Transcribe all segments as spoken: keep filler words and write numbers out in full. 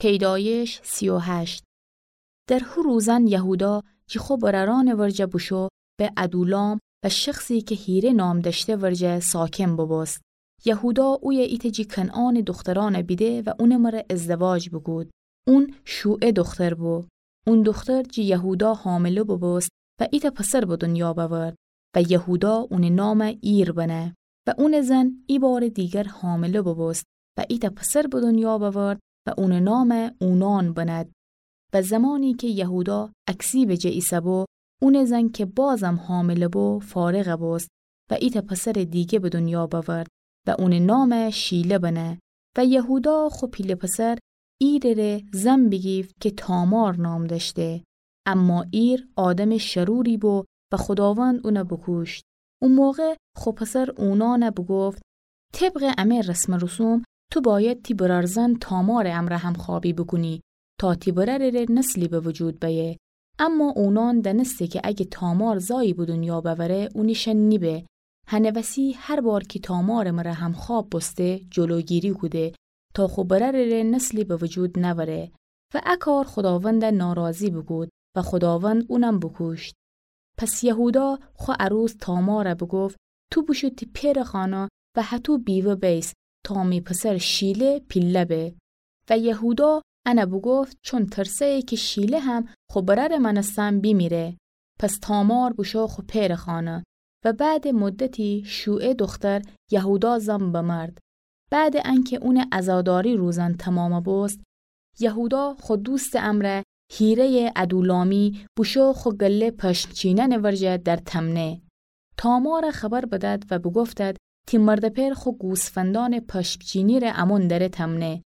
پیدایش سی و هشت. در هو روزأن یهودا جی خو برأرأنٚ ورجه بوشو به ادولام و شخصی کی هیره نام دأشته ورجه ساکن بوبوست. یهودا اویه ایتأ جی کنعانٚ دوخترأن بیده و اونٚ مره ازدواج بوکود. اون شوعه دوختر بو. اون دوختر جی یهودا حامله بوبوست و ایتأ پسر به دونیا بأورد و یهودا اونٚ نام ایر بنه. و اونٚ زن ایبارٚ دیگر حامله بوبوست و ایتأ پسر به دونیا بأورد و اونٚ نام اونان بند. و زمانی کی یهودا اکسیبٚ جه ایسه‌بو، اونٚ زن کی بازم حامله بو، فارغ بوست و ایتأ پسرٚ دیگه به دونیا بأورد و اونٚ نام شیله بنه. و یهودا خو پیله پسر ایرٚ ره زن بیگیفت کی تامار نام دأشته. اما ایر آدمٚ شروری بو و خوداوند اون بوکوشت. او موقع خو پسر اونان بوگفت: طبقٚ امه رسم و رسوم، تو باید تی برأر زن تامارٚ امرأ همخوابی بوکونی تا تی برأرٚ ره نسلی به وجود بأیه. اما اونان دأنسته کی اگه تامار زایی به دونیا بأوره، اونٚ شأن نیبه. هنٚ وسی هر بار کی تامارٚ مره همخواب بوسته، جلوگیری کوده تا خو برأرٚ ره نسلی به وجود نأوره. و ا کار خوداوند ناراضی بوکود و خوداوند اونم بوکوشت. پس یهودا خو عروس تامار بوگفت: تو بوشو تی پئرٚ خانه و هطو بیوه بیس تا می پسر شیله پیله به. و یهودا ان بوگفت چون ترسه‌یه کی شیله هم خو برأرٚ مأنستن بیمیره. پس تامار بوشو خو پئرٚ خانه. و بعدٚ مدتی شوعه دوختر یهودا زن بمرد. بعدٚ انکی اونٚ عزاداری روزأن تومام بوست، یهودا خو دوستٚ امرأ هیره‌یٚ ادولامی بوشو خو گله پشم چینأنٚ ورجه در تمنه. تامار خبر بدد و بوگفتد: تی مردٚ پئر خو گوسفندأنٚ پشم چینی ره امون دره تمنه.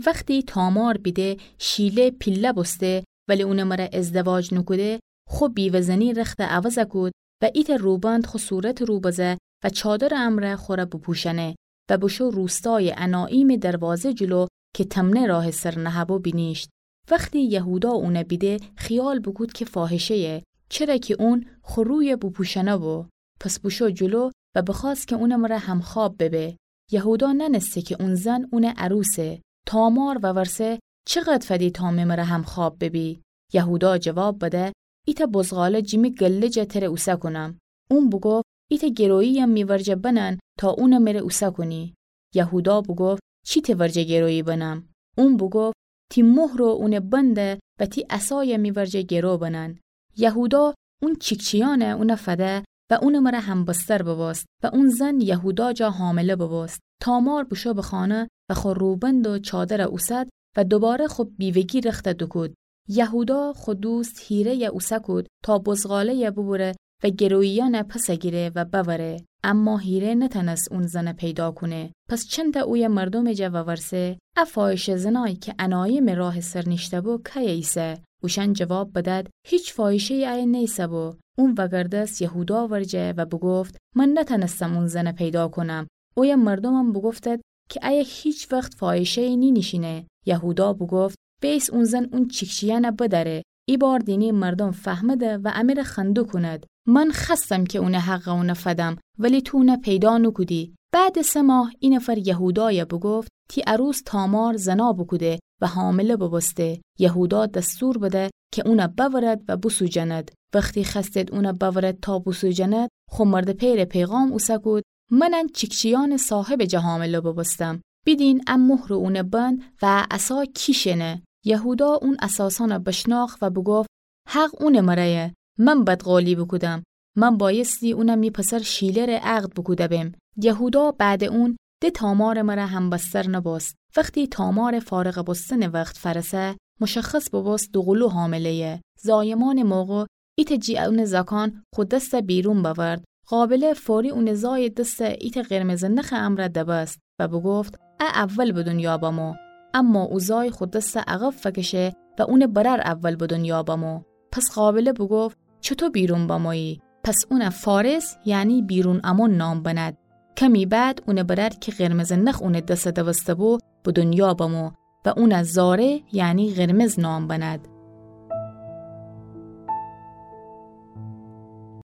وختی تامار بیده شیله پیله بوسته ولی اونٚ مره ازدواج نوکوده، خو بیوه‌زنی رخت عوض کود و ایتأ روبند خو صورتٚ رو بزه و چادرٚ امرأ خوره بوپوشأنه و بوشو روستایٚ اناییمٚ دروازه جلو کی تمنه راه سر نهه‌بو بینیشت. وختی یهودا اون بیده، خیال بوکود کی فاحشه‌یه، چره کی اون خو روی بوپوشأنه‌بو. پس بوشو جلو و بخوأست کی اونٚ مره همخواب ببه. یهودا نأنسته کی اون زن اونٚ عروسه. تامار وورسه: چقد فدی تا می مره همخواب ببی؟ یهودا جواب بده: ایتأ بزغاله جی می گله جا تره اوسه کونم. اون بوگفت: ایتأ گرویی‌یم می ورجه بنن تا اون مره اوسه کونی. یهودا بوگفت: چی تی ورجه گرویی بنم؟ اون بوگفت: تی مهر و اونٚ بند و تی عصای می ورجه گرو بنن. یهودا اون چیکچیأن اون فده و اونٚ مره همبستر ببوست و اون زن یهودا جا حامله ببوست. تامار بوشو به خانه و خو روبند و چادر اوسد و دوباره خو بیوگی رخت دوکود. یهودا خو دوست هیره‌ی اوسه کود تا بزغاله‌ی ببره و گروییأن پس گیره و بأوره. اما هیره نتأنست اون زن پیدا کونه. پس چندتأ اوی مردومٚ جا وورسه: ا فاحشه‌زنأی کی اناییمٚ راه سر نیشته‌بو کیه ایسه؟ اوشأن جواب بدد: هیچ فاحشه‌یی ایه نیسه‌بو. اون وگردست یهودا ورجه و بوگفت: من نتأنستم اون زن پیدا کونم. اوی مردومم بوگفتد کی ایه هیچ وخت فاحشه‌یی نینیشینه. یهودا بوگفت: بیس اون زن اون چیکچیأن بدأره. ایبار دینی مردوم فهمده و امره خنده کونید. من خوأستم کی اونٚ حق اون فدم، ولی تو اون پیدا نوکودی. بعدٚ سه ماه اینفر یهودای بوگفت: تی عروس تامار زنا بوکوده و حامله ببوسته. یهودا دستور بده کی اون بأورد و بوسوجند. وختی خوأستید اون بأورد تا بوسوجند، خو مردٚ پئرٚ پیغام اوسه کود: من ان چیکچیأنٚ صاحبٚ جا حامله ببوستم. بیدین ا مهر و اونٚ بند و ا عصا کی شینه؟ یهودا اون اساسأن بشناخت و بوگفت: حق اونٚ مره‌یه. من بدقولی بوکودم. من بایستی اون می پسر شیله ره عقد بوکوده بم. یهودا بعدٚ اون د تامارٚ مره همبستر نبوست. وختی تامارٚ فارغ بوستنٚ وخت فأرسه، مشخص ببوست دوقلو حامله‌یه. زایمأنٚ موقع ایتأ جی اونٚ زأکأن خو دست بیرون بأورد. قابله فوری اونٚ زایٚ دست ایتأ قرمزٚ نخٚ امرأ دبست و بوگفت: ا اول به دونیا بمو. اما او زای خو دست عقب فکشه و اونٚ برأر اول به دونیا بمو. پس قابله بوگفت: چوطو بیرون بمویی؟ پس اون فارس، یعنی بیرون امون نام بند. کمی بعد اونٚ برأر کی قرمزٚ نخ اونٚ دست دبسته‌بو، به دونیا بمو و اون زاره، یعنی قرمز نام بند.